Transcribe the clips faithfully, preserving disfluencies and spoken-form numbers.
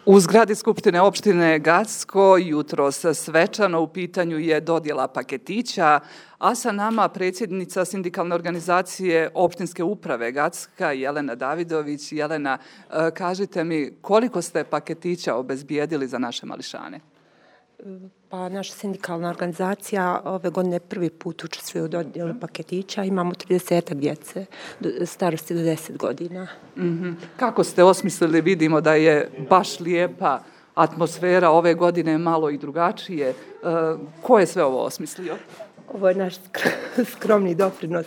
U zgradi Skupštine opštine Gacko jutros svečano u pitanju je dodjela paketića, a sa nama predsjednica sindikalne organizacije opštinske uprave Gacka, Jelena Davidović. Jelena, kažite mi koliko ste paketića obezbijedili za naše mališane? Pa naša sindikalna organizacija ove godine prvi put učestvuje u dodjeli paketića. Imamo tridesetak djece starosti do deset godina. Mm-hmm. Kako ste osmislili? Vidimo da je baš lijepa atmosfera ove godine, malo i drugačije. E, ko je sve ovo osmislio? Ovo je naš skromni doprinos.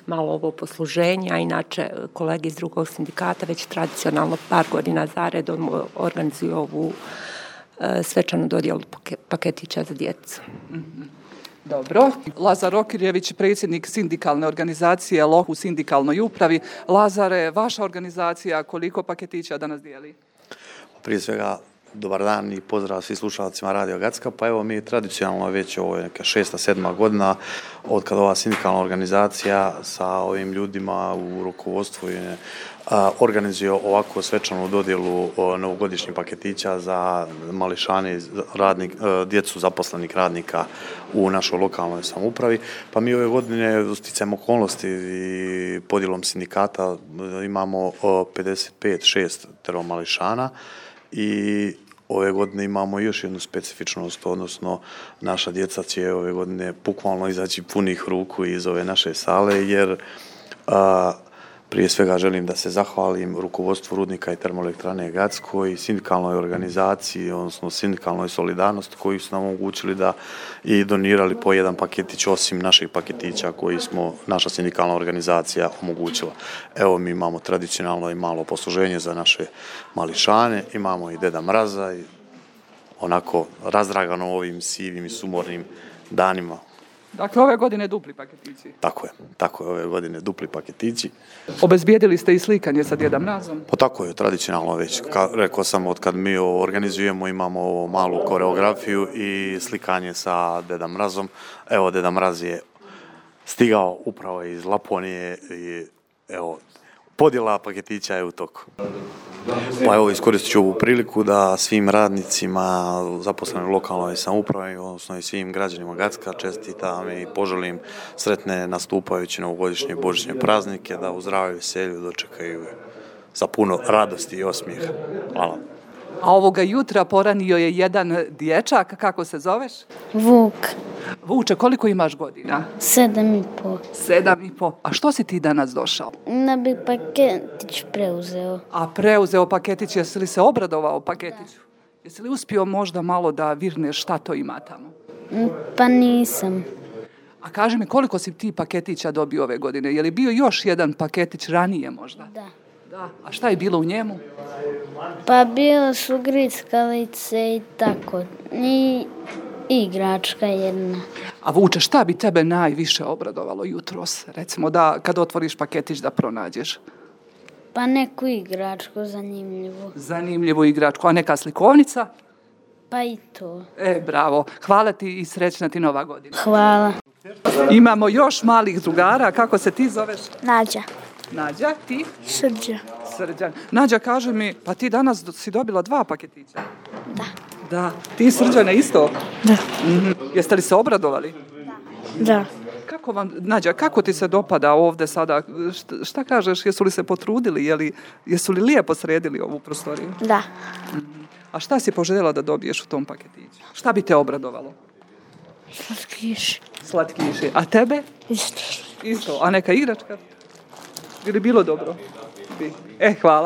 Malo ovo posluženja, inače kolege iz drugog sindikata već tradicionalno par godina zaredom organizuju ovu svečanu dodjelu paketića za djecu. Mm-hmm. Dobro. Lazar Okirjević, predsjednik sindikalne organizacije L O H u sindikalnoj upravi. Lazare, vaša organizacija koliko paketića danas dijeli? Prije svega, dobar dan i pozdrav svim slušalcima Radio Gacka. Pa evo mi tradicionalno već ovo je neka šesta, sedma godina od kada ova sindikalna organizacija sa ovim ljudima u rukovodstvu je organizuje ovako svečanu dodjelu novogodišnjih paketića za mališane, radnik, djecu zaposlenih radnika u našoj lokalnoj samoupravi. Pa mi ove godine sticajem okolnosti i podjelom sindikata imamo pedeset pet šest mališana i ove godine imamo još jednu specifičnost, odnosno naša djeca će ove godine bukvalno izaći punih ruku iz ove naše sale, jer a, prije svega želim da se zahvalim rukovodstvu Rudnika i termoelektrane Gacko i sindikalnoj organizaciji, odnosno sindikalnoj solidarnosti koji su nam omogućili da i donirali po jedan paketić osim naših paketića koji smo naša sindikalna organizacija omogućila. Evo mi imamo tradicionalno i malo posluženje za naše mališane, imamo i Deda Mraza i onako razdragano ovim sivim i sumornim danima. Dakle, ove godine dupli paketići. Tako je, tako je, ove godine dupli paketići. Obezbijedili ste i slikanje sa Djedom Mrazom? Pa tako je, tradicionalno već. Ka, rekao sam, od kad mi ovo organizujemo, imamo ovo malu koreografiju i slikanje sa Dedom Mrazom. Evo, Deda Mraz je stigao upravo iz Laponije i evo, podjela paketića je u toku. Pa evo, iskoristit ću ovu priliku da svim radnicima zaposlenim u lokalnoj samoupravi, odnosno i svim građanima Gacka čestitam i poželim sretne nastupajuće novogodišnje božićne praznike, da u zdravlju i veselju dočekaju sa puno radosti i osmijeha. Hvala. A ovoga jutra poranio je jedan dječak, kako se zoveš? Vuk. Vuče, koliko imaš godina? Sedam i po. Sedam i po. A što si ti danas došao? Da bi paketić preuzeo. A preuzeo paketić, jesi li se obradovao paketiću? Da. Jesi li uspio možda malo da virneš šta to ima tamo? Pa nisam. A kaži mi, koliko si ti paketića dobio ove godine? Je li bio još jedan paketić ranije možda? Da. Da. A šta je bilo u njemu? Pa bilo su grickalice i tako. I igračka jedna. A Vuče, šta bi tebe najviše obradovalo jutros? Recimo da kad otvoriš paketić da pronađeš. Pa neku igračku zanimljivu. Zanimljivu igračku. A neka slikovnica? Pa i to. E, bravo. Hvala ti i srećna ti nova godina. Hvala. Imamo još malih drugara. Kako se ti zoveš? Nađa. Nađa, ti? Srđa. Srđan. Nađa, kaže mi, pa ti danas si dobila dva paketića? Da. Da. Ti, Srđane, isto? Da. Mm-hmm. Jeste li se obradovali? Da. Da. Kako vam, Nađa, kako ti se dopada ovdje sada? Šta, šta kažeš, jesu li se potrudili? Je li, jesu li lijepo sredili ovu prostoriju? Da. Mm-hmm. A šta si poželjela da dobiješ u tom paketiću? Šta bi te obradovalo? Slatkiši. Slatkiši. A tebe? Isto. Isto. A neka igračka? Bi li bilo dobro? Bi. E, hvala.